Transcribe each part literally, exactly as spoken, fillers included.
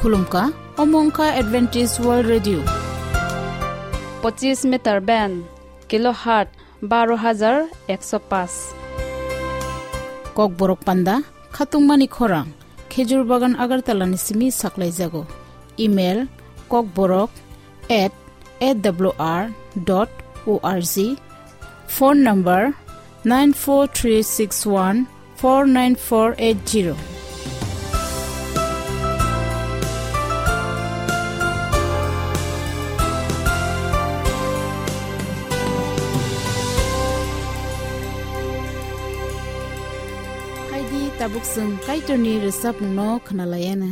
Khulumkha, omo wngkha Adventist World Radio. Pochis meter band, kilohertz baro hajar ekso paanch. Kokborok panda, khatungmani khorang, Khejur Bagan Agartala ni simi saklaijago. Email, kokborok at A W R dot O R G. Phone number, nine four three six one four nine four eight zero. Haidi tabuk chwng Kaitorni rwchapmungno khwnalaiana.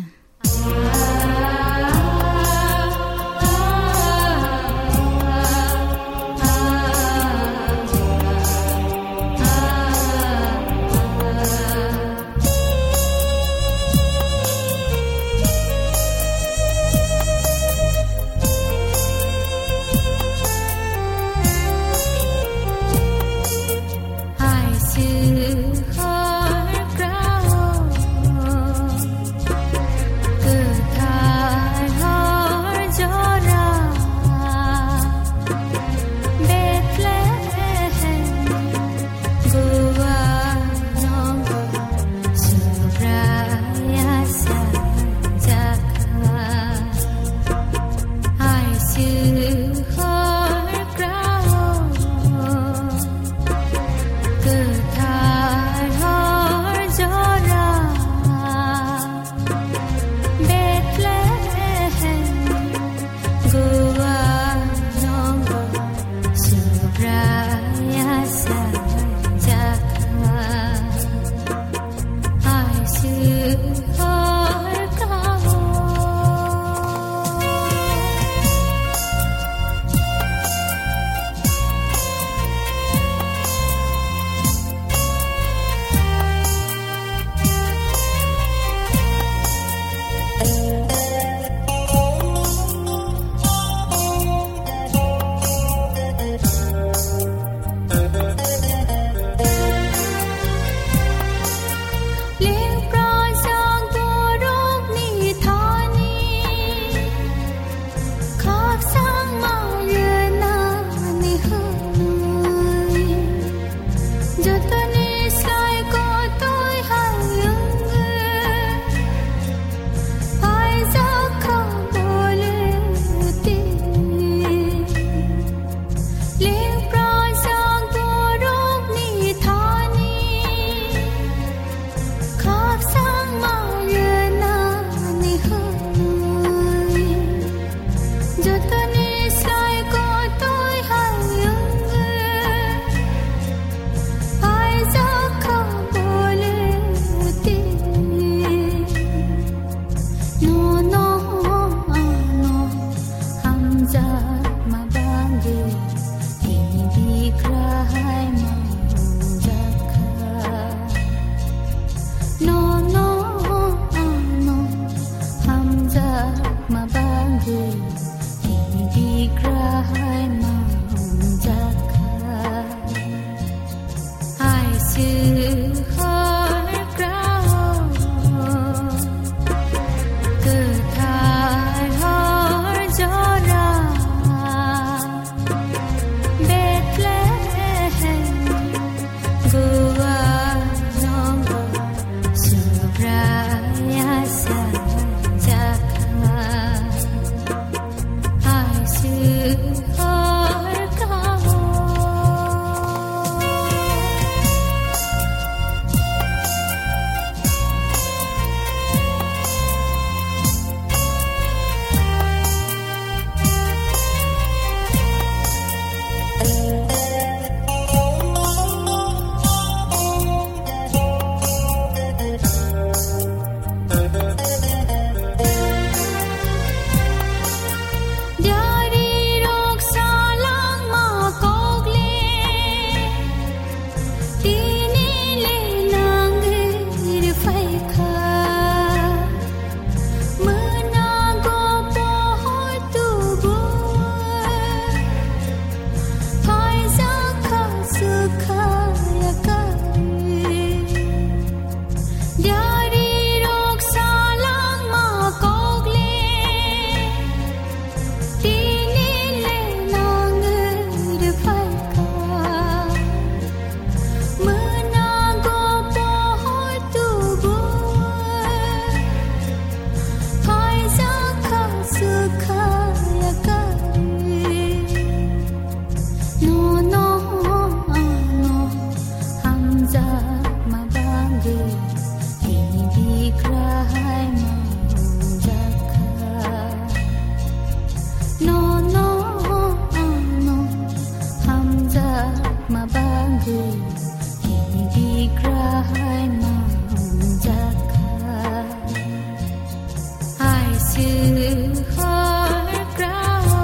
Hor grao,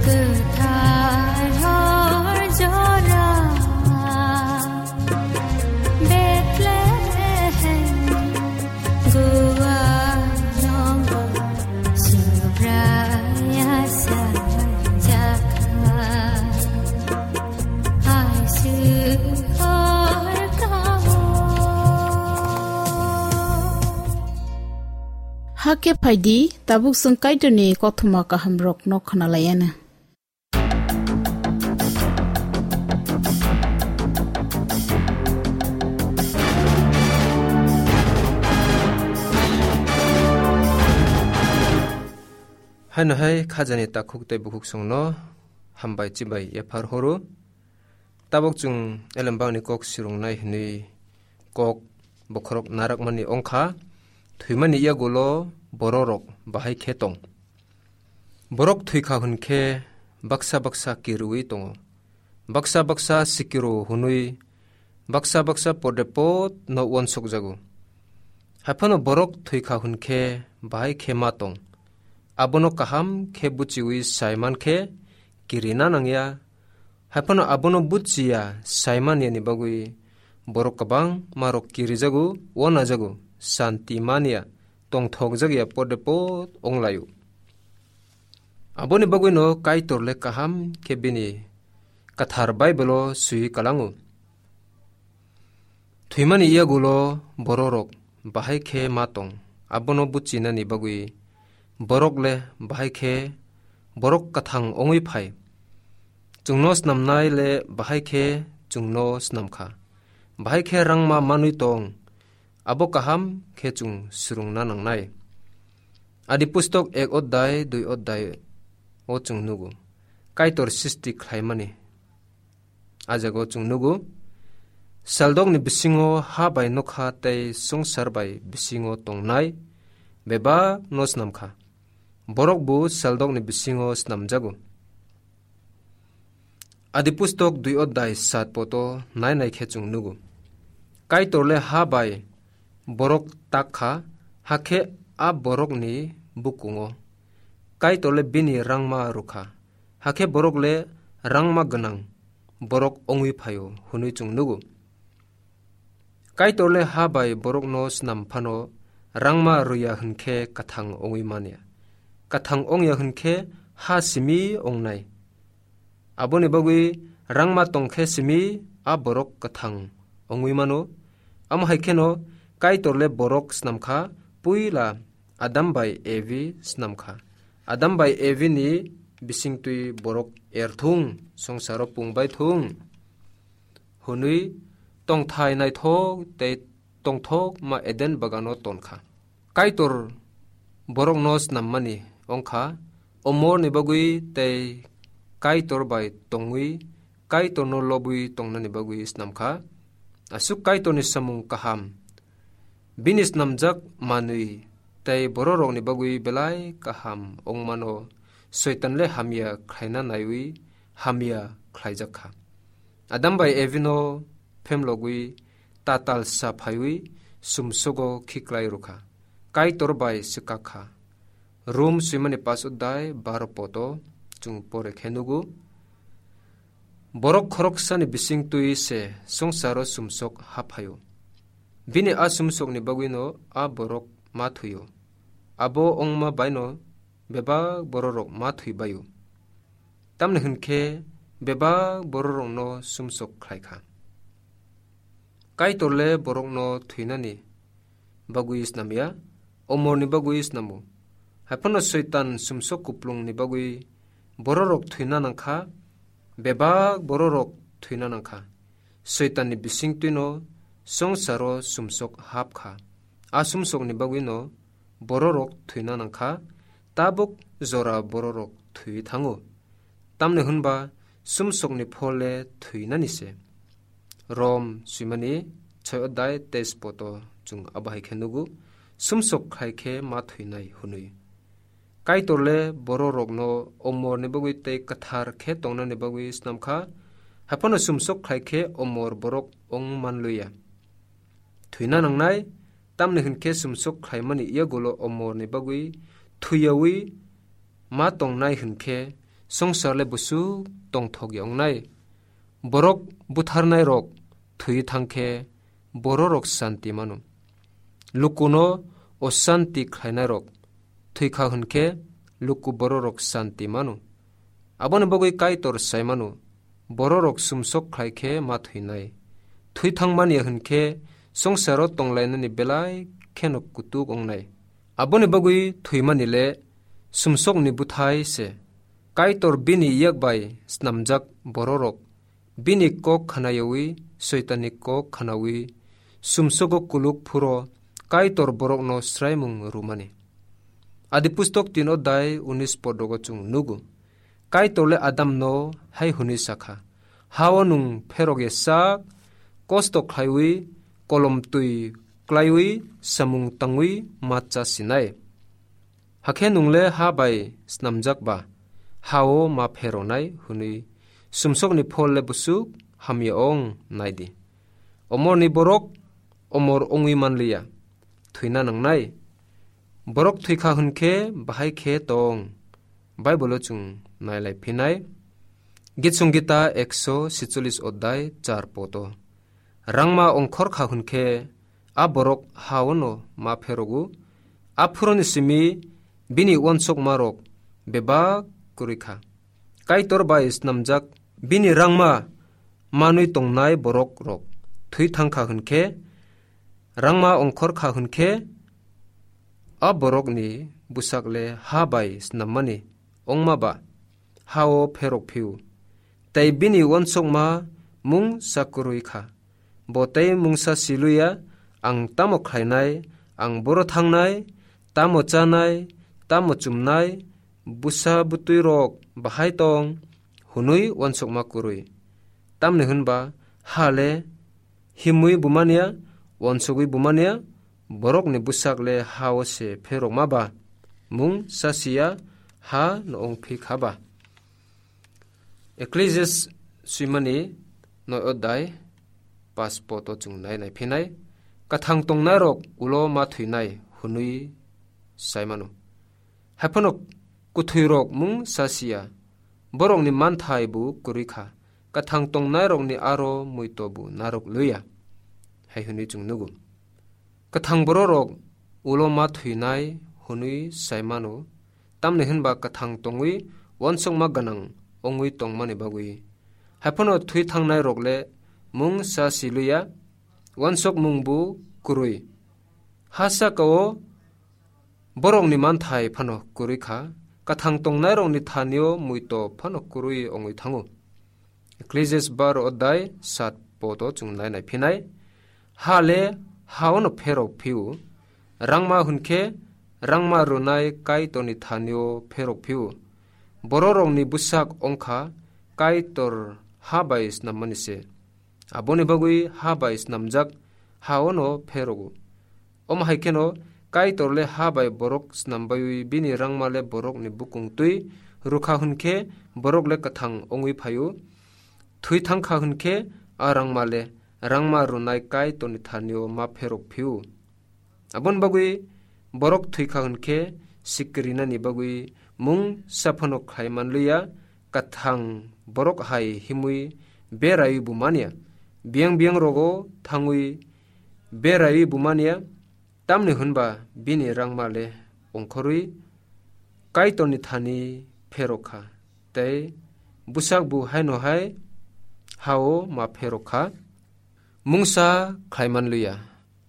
kwthar hor jora, Bethlehem, Guwa nongo, Subraya sa jakha. Hakhe phaidi, tabuk chwng Kaitorni kothoma kahamrokno khwnalaiana. Haino hai khajani takhuk tei bukhuk songno hambai chibai yaphar horo. Tabuk chwng elembangni kok swrwngnai hwnwi kok bokhorok narakmani wngkha, thwimani yagulo bororok bahai khe tong. Borok thwikha hwn khe baksa baksa kirwi tongo. Baksa baksa sikiro hwnwi baksa baksa pode pod no uansukjago. Haiphano borok thwikha hwn khe bahai khe ma tong. Abono kaham khe buchiwi sai man khe kirina nangya. Haiphano abono buchiya sai manyani bagwi borok kwbangma rok kirijago, uanajago, santi manya, tongthokjakya pode pod wnglaio. Aboni bagwino Kaitor le kaham khe bini kwthar Baibelo swiwi kalango. Thwimani yagulo bororok bahai khe ma tong, abono buchinani bagwi borok le bahai khe borok kwthang wngwi phai. Chwngno snamnai le bahai khe chwngno snam kha. Bahai khe rangma manwi tong, abo kaham khe chwng swrwngna nangnai. Adi pustok ek odai, dui odai o chwng nugo. Kaitor sisti khlaimani. A jaga o chwng nugo, saldokni bisingo ha bai nokha tei swngchar bai bisingo tongnai bebak no snam kha. Borok bo saldokni bisingo snamjago. Adi pustok dui odai sat poto nai nai khe chwng nugo. Kaitor le ha bai borok tak kha, hakhe a borokni bukungo. Kaitor le bini rangma rwkha. Hakhe borok le rangma gwnang borok wngwi phaio hwnwi chwng nugo. Kaitor le ha bai borokno snam phano rangma rwya hwn khe kwthang wngwi manya. Kwthang wngya hwn khe ha simi wngnai. Aboni bagwi rangma tong khe simi a borok kwthang wngwi mano. Amo hai kheno Kaitor le borok snam kha, puila Adam bai Evi snam kha. Adam bai Evi ni bisingtwi borok erthung, songsaro pung bai thung hwnwi tongthai naithok tei tongthokma Eden bagano ton kha. Kaitor borokno snammani wng kha, omorni bagwi tei Kaitor bai tongwi Kaitorno lobwi tongnani bagwi snam kha. Aswk Kaitorni samung kaham, bini snamjak manwi tei bororokni bagwi belai kaham wngmano Soitan le hamya khlaina naiwi hamya khlaijak kha. Adam bai Evino phemlogwi tatal sa phaiwi sumsogo khiklai rwkha. Kaitor bai swkak kha. Rom swimani paso dai baro poto chwng pore khe nugo. Borok khoroksani bisingtwi se swngcharo sumsok haphaio. Bini a sumsokni bagwino a borok ma thwio. Abo wngma baino bebak bororok ma thwi baio. Tamni hwn khe bebak bororokno sumsok khlai kha. Kaitor le borokno thwinani bagwi snam ya, omorni bagwi snamo. Haiphano Soitan sumsok kuplungni bagwi bororok thwina nang kha, bebak bororok thwina nang kha. Soitanni bisingtwino swngcharo sumsok hap kha. A sumsokni bagwino bororok thwina nang kha, tabuk jora bororok thwi thango. Tamni hwnba sumsokni phol le thwinani se. Rom swimani choi odai teis poto chwng abo hai khe nugo, sumsok khai khe ma thwinai hwnwi. Kaitor le bororokno omorni bagwi tei kwthar khe tongnani bagwi snam kha, haiphano sumsok khai khe omor borok wng man liya. Thwina nangnai, Tamni hwn khe sumsok khlaimani yagulo omorni bagwi thwiyawi ma tongnai hwn khe songsar le busuk tongthok ya wngnai. Borok butharnairok thwi thang khe bororok santi mano. Lukuno osanti khlainairok thwi kha hwn khe luku bororok santi mano. Aboni bagwi Kaitor sai mano, bororok sumsok khlai khe ma thwinai. Thwi thangmani hwn khe songsaro tonglainani belai kheno kutuk wngnai. Aboni bagwi thwimani le sumsokni bwthai se. Kaitor bini yak bai snamjak bororok bini kok khnayawi, Soitanni kok khnawi, sumsogo kuluk phuro Kaitor borokno sraimung rwmani. Adi pustok tin odai unis podrogo chwng nugo. Kaitor le Adamno hai hwnwi sakha, "Hao nwng pherok ya sak, kosto khlaiwi, kolom twi klaiwi, samung tangwi ma cha sinai. Hakhe nwng le ha bai snamjak ba, hao ma pheronai," hwnwi sumsokni phol le busuk hamya ong nai di. Omorni borok omor ongwi manliya, thwina nangnai. Borok thwi kha hwn khe bahai khe tong. Bible-o chwng nailai phinai. Gitsong Gita ekso sitcholis odai char poto. Rangma ongkhor kha hwn khe a borok hao no ma pherogo. A phuroni simi bini uansukmarok bebak kwrwi kha. Kaitor bai snamjak bini rangma manwi tongnai borok rok thwi thang kha hwn khe, rangma ongkhor kha hwn khe, a borokni bwsak le ha bai snammani ongma ba hao pherok phiu, tei bini uansukma mungsa kwrwi kha. Bo tei mungsa siluya, "Ang tamo khlainai, ang boro thangnai, tamo chanai, tamo chumnai, bwsa bwtwi rok bahai tong," hwnwi uansukma kwrwi. Tamni hwnba ha le himwi bumania, uansugwi bumania, borokni bwsak le hao se pherokma ba, mungsa siya ha no ongphi kha ba. Ecclesiastes swimani noi odai pas poto chwng nai nai phinai. Kathang tongnairok ulo ma thwinai hwnwi sai mano. Haiphano kwthwirok mungsa siya, borokni manthai bo kwrwi kha, kathang tongnairokni aro muito bo narwk lwiya, hai hwnwi chwng nugo. Kathang bororok ulo ma thwinai hwnwi sai mano, tamni hwnba kathang tongwi uansukma gwnang wngwi tongmani bagwi. Haiphano thwi thangnairok le mungsa siluya, uansukmung bo kwrwi. Ha saka-o borokni manthai phano kwrwi kha, kathang tongnairokni thani-o muito phano kwrwi wngwi thango. Ecclesiastes baro odai sat poto chwng nai nai phinai. Ha le hao no pherok phiu, rangma hwn khe rangma rwnai Kaitorni thani-o pherok phiu. Bororokni bwsak wngkha Kaitor ha bai snammani se. Aboni bagwi ha bai snamjak hao no pherogo. Omo hai kheno Kaitor le ha bai borok snambaiwi bini rangma le borokni bukung twi rwkha hwn khe borok le kwthang wngwi phaio. Thwi thangkha hwn khe a rangma le rangma rwnai Kaitorni thani-o ma pherok phiu. Aboni bagwi borok thwi kha hwn khe sikrinani bagwi mungsa phano khlai manliya, kathang borok hai himwi beraiwi bo manya, biyang biyang rogo thangwi beraiwi bo manya, tamni hwnba bini rangma le ongkhorwi Kaitorni thani pherok kha, tei bwsak bo haino hai hao ma pherok kha. Mungsa khlai manliya.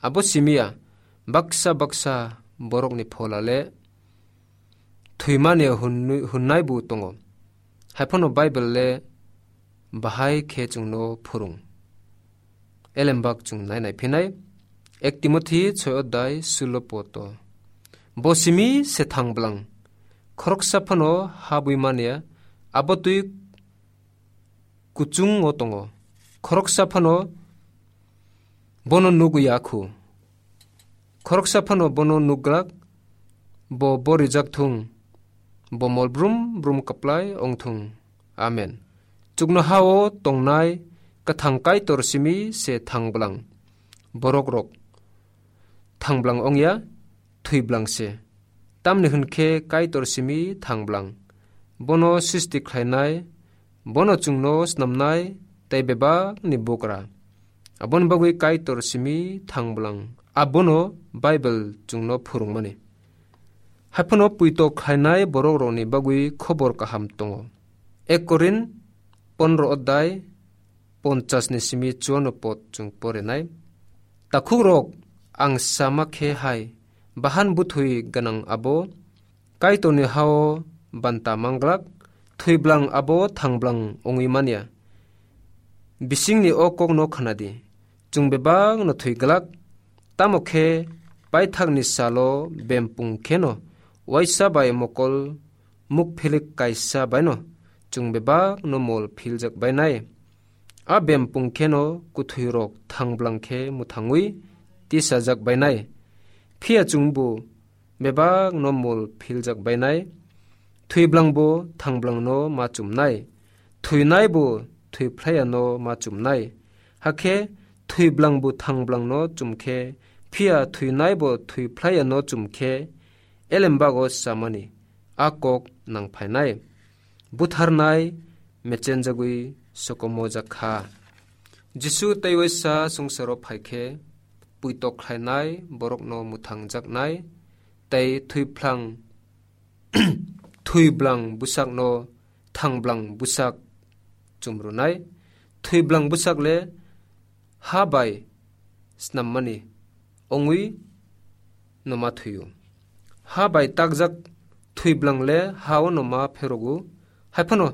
Abo simiya baksa baksa borokni phola le thwimani hwn-, hwnnai bo tongo. Haiphano Bible le bahai khe chwngno phwrwng. Elembak chwng nai nai phinai. Ek Timothi soi odai sulo poto. Bo simi se thang bwlang. Khoroksa phano habwi manya, abo twi kuchungo tongo. Khoroksa phano bono nugwi ya khu. Khoroksa phano bono nukglak, bo borijak thung, bo mol brum brum kwplai ong thung. Amen. Chuknohao tongnai kwthang Kaitor simi se thang bwlang. Borok rok thanglang ongya, thwilang se. Tamni hwn khe Kaitor simi thanglang. Bono srishti khlainai, bono chwngno snamnai, tei bebakni bugra. Aboni bagwi Kaitor simi thanglang. Abono Bible chwngno phwrwngmani. Haiphano puito khlainai borokrokni bagwi khobor kaham tongo. Ek Korin pondro odai ponchas ni simi chuano pod chwng porinai. Takhukrok, ang sama khe hai, bahan buthwi gwnang abo Kaitorni hao banta manglak, thwiblang abo thangblang wngwi manya. Bisingni o kokno khnadi, chwng bebakno thwiglak, tamo khe paithakni salo bempung kheno waisa bai mokol mukphilik kaisa baino chwng bebakno mol philjak bainai. A bempung kheno kuthwirok thangblang khe mwthangwi tisajak bainai. Phiya chwngbo bebakno mol philjak bainai. Thwiblangbo thangblangno ma chumnai. Thwinaibo thwiphlaiano ma chumnai. Hakhe thwiblangbo thangblangno chumkhe, phiya thwinaibo thwiphlaiano chumkhe, elembago samani a kok nangphainai. Butharnai mechenjagwi sokomojak kha. Jisu tei waisa swngcharo phaikhe, puito khlainai borokno mwthangjaknai tei thwiplang, thwiblang bwsakno thangblang bwsak chumrwnai. Thwiblang bwsak le ha bai snammani wngwi no ma thwiyo. Ha bai takjak thwiblang le ha-o no ma pherogo. Haiphano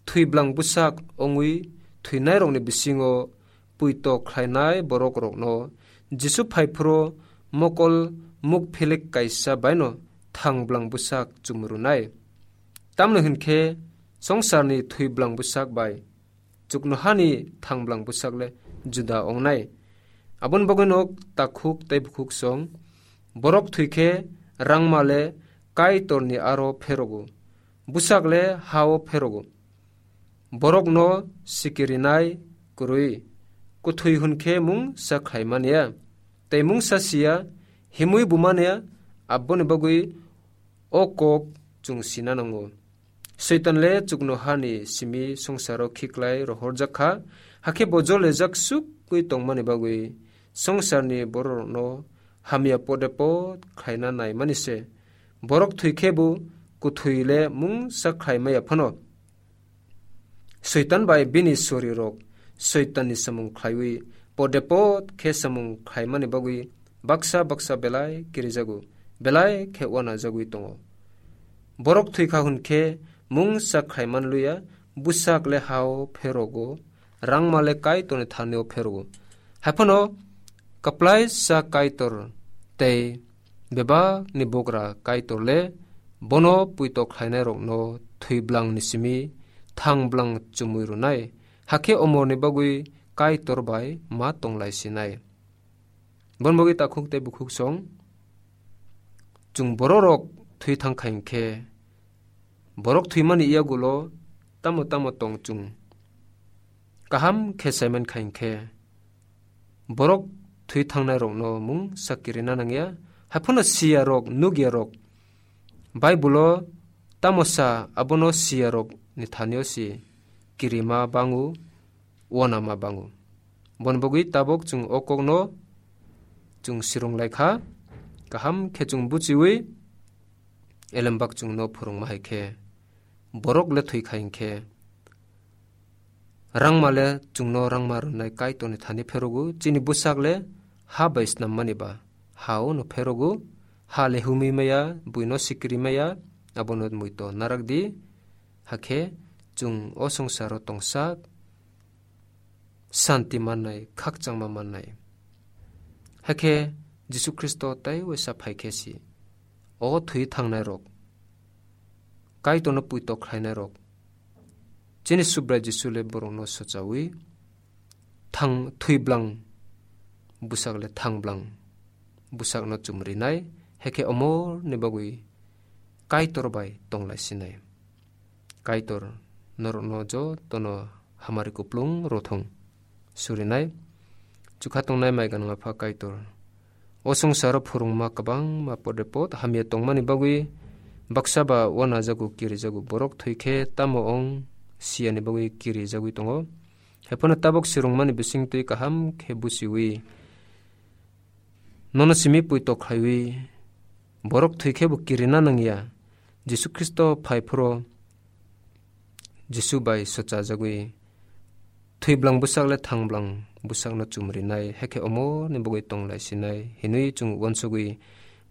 thwiblang bwsak wngwi thwinairokni bisingo puito khlainai borokrokno Jisu phaiphuru mokol mukphilik kaisa baino thangblang bwsak chumrwnai. Tamni hwn khe, swngcharni thwiblang bwsak bai chuknohani thangblang bwsak le juda wngnai. Aboni bagwino takhuk tei bukhuk song, borok thwi khe rangma le Kaitorni aro pherogo, bwsak le ha-o pherogo. Borokno sikirinai kwrwi, kuthwi hwn khe mungsa khlai man ya, tei mungsa si ya, himwi bo man ya, aboni bagwi o kok chwng sina nango. Soitan le chuknohani simi swngcharo khiklai rohorjak kha, hakhe bo jolejak sukgwi tongmani bagwi swngcharni bororokno hamya pode pod khlaina naimani se. Borok thwi khe bo kuthwi le mungsa khlai maya phano. Soitan bai bini sorirok Soitanni samung khlaiwi pode pod khe samung khlaimani bagwi baksa baksa belai kirijago, belai khe uanajagwi tongo. Borok thwi kha hwn khe mungsa khlai man luya, bwsak le ha-o pherogo, rangma le Kaitorni thani-o pherogo. Haiphano kwplaisa Kaitor tei bebakni bugra Kaitor le bono puito khlainairokno thwiblangni simi thangblang chumui rwnai, hakhe omorni bagwi Kaitor bai ma tonglai sinai. Bon bagwi takhuk tei bukhuk song, chwng bororok thwi thang kha hinkhe, borok thwimani yagulo tamo tamo tong chwng kaham khe saiman kha hinkhe, borok thwi thangnairokno mungsa kirina nangya. Haiphano siyarok, nukyarok Bible-o tamo sa, abono siyarokni thani-o si kirima bango, uanama bango. Bon bagwi tabok chwng o kokno chwng sirung lai kha, kaham khe chwng buchiwi elembak chwngno phwrwngma hai khe, borok le thwi kha hinkhe, rangma le chwngno rangma rwnai Kaitorni thani pherogo, chini bwsak le ha bai snammani ba ha-o no pherogo, ha le humwi maya, buino sikiri maya, abono muito narak di, hakhe chwng o swngcharo tongsak, santi mannai, khakchangma mannai. Hakhe Jisu Khristo tei waisa phai khe si, o thwi thangnairok, Kaitorno puito khlainairok, chini Subrai Jisu le borokno sochawi thang, thwiblang bwsak le thangblang bwsakno chumrinai, hakhe omorni bagwi Kaitor bai tonglai sinai. Kaitor norokno jotono hamari kuplung rothung surinai. Chukha tongnai mai gwnang Apha Kaitor, O swngcharo phwrwngma kwbangma podre pod hamya tongmani bagwi baksa ba uanajago kirijago. Borok thwi khe tamo ong siyani bagwi kirijagwi tongo. Haiphano tabuk swrwngmani bisingtwi kaham khe buchiwi nono simi puitok khlaiwi borok thwi khe bo kirina nangya. Jisu Khristo phai phuro Jisu bai swchajagwi, thwi bwlang bwsak le thang bwlang bwsakno chumrinai, hakhe omo ni bagwi tong lai sinai hinwi chwng uansugwi,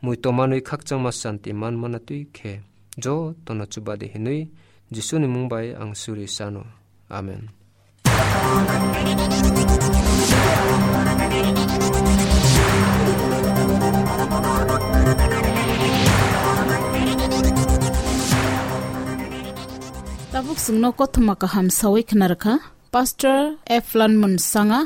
mui tomanwi khakchangma santi man mana twi khe jotono chuba di hinwi Jisuni mung bai ang suri sano. Amen. Tabuk chwngno kothoma kaham sawi khna rwkha Pastor Eflan Munsanga.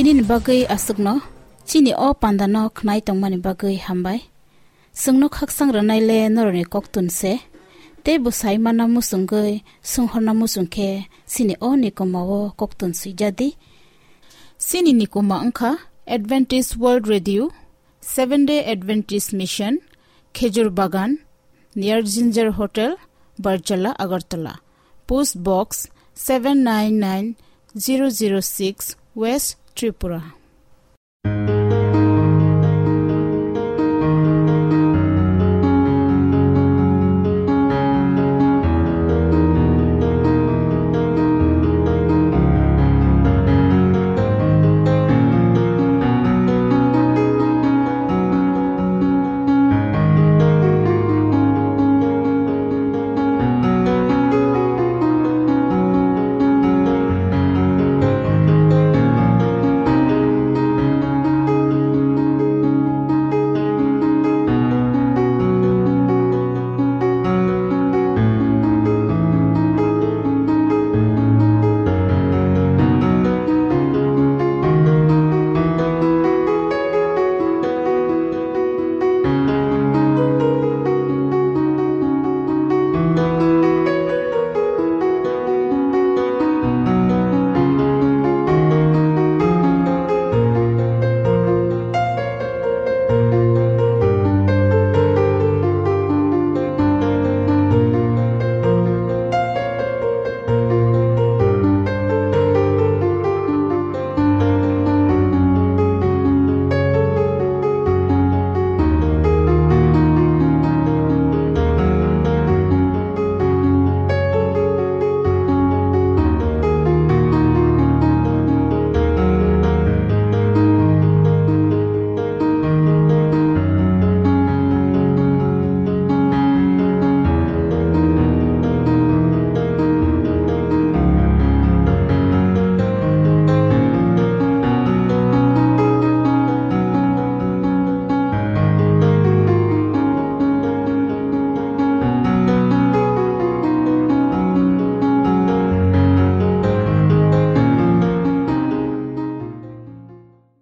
Nini bagwi aswkno chini o pandano khnai tongmani bagwi hambai. Chwngno khaksang rwnaile norokni koktun se, tei bo sai manna muchungwi swnghorna muchung khe chini o nikoma o koktun swijadi. Chini nikoma wngkha Adventist World Radio, Seventh Day Adventist Mission, Khejur Bagan, near Ginger Hotel, Barjala, Agartala. Post Box seven nine nine zero zero six, West Tripura.